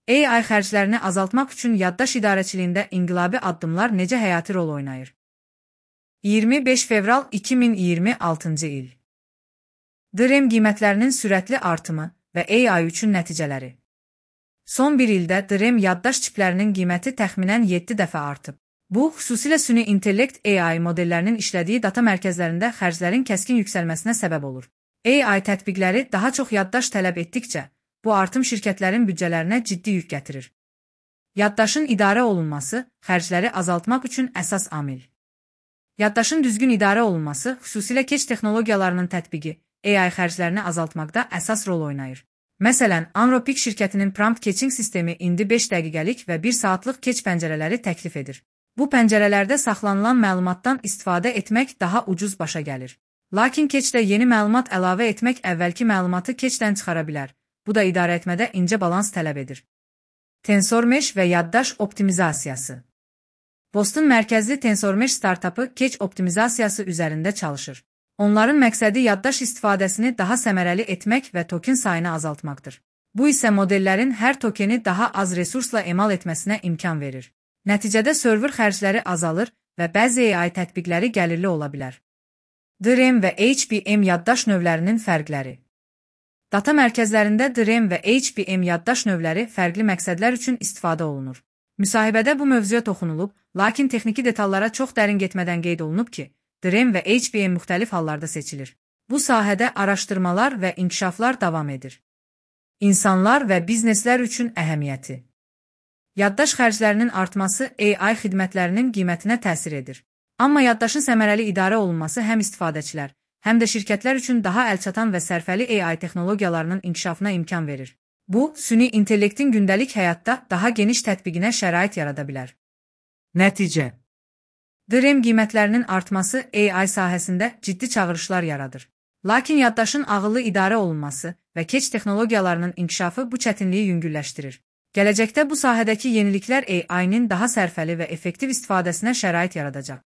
AI xərclərini azaltmaq üçün yaddaş idarəçiliyində inqilabi addımlar necə həyati rol oynayır? 25 fevral 2026-cı il. DRAM qiymətlərinin sürətli artımı və AI üçün nəticələri. Son bir ildə DRAM yaddaş çiplərinin qiyməti təxminən 7 dəfə artıb. Bu, xüsusilə süni intellekt AI modellərinin işlədiyi data mərkəzlərində xərclərin kəskin yüksəlməsinə səbəb olur. AI tətbiqləri daha çox yaddaş tələb etdikcə, bu artım şirkətlərin büdcələrinə ciddi yük gətirir. Yaddaşın idarə olunması xərcləri azaltmaq üçün əsas amil. Yaddaşın düzgün idarə olunması, xüsusilə keç texnologiyalarının tətbiqi, AI xərclərini azaltmaqda əsas rol oynayır. Məsələn, Anropik şirkətinin prompt catching sistemi indi 5 dəqiqəlik və 1 saatlıq keç pəncərələri təklif edir. Bu pəncərələrdə saxlanılan məlumatdan istifadə etmək daha ucuz başa gəlir. Lakin keçdə yeni məlumat əlavə etmək əvvəlki məlumatı keçdən çıxara bilər. Bu da idarə etmədə incə balans tələb edir. TensorMesh və yaddaş optimizasiyası. Boston mərkəzli TensorMesh startapı keç optimizasiyası üzərində çalışır. Onların məqsədi yaddaş istifadəsini daha səmərəli etmək və token sayını azaltmaqdır. Bu isə modellərin hər tokeni daha az resursla emal etməsinə imkan verir. Nəticədə server xərcləri azalır və bəzi AI tətbiqləri gəlirli ola bilər. DRAM və HBM yaddaş növlərinin fərqləri. Data mərkəzlərində DRAM və HBM yaddaş növləri fərqli məqsədlər üçün istifadə olunur. Müsahibədə bu mövzuya toxunulub, lakin texniki detallara çox dərin getmədən qeyd olunub ki, DRAM və HBM müxtəlif hallarda seçilir. Bu sahədə araşdırmalar və inkişaflar davam edir. İnsanlar və bizneslər üçün əhəmiyyəti. Yaddaş xərclərinin artması AI xidmətlərinin qiymətinə təsir edir. Amma yaddaşın səmərəli idarə olunması həm istifadəçilər, həm də şirkətlər üçün daha əlçatan və sərfəli AI texnologiyalarının inkişafına imkan verir. Bu, süni intellektin gündəlik həyatda daha geniş tətbiqinə şərait yarada bilər. Nəticə. DRAM qiymətlərinin artması AI sahəsində ciddi çağırışlar yaradır. Lakin yaddaşın ağıllı idarə olunması və keç texnologiyalarının inkişafı bu çətinliyi yüngülləşdirir. Gələcəkdə bu sahədəki yeniliklər AI-nin daha sərfəli və effektiv istifadəsinə şərait yaradacaq.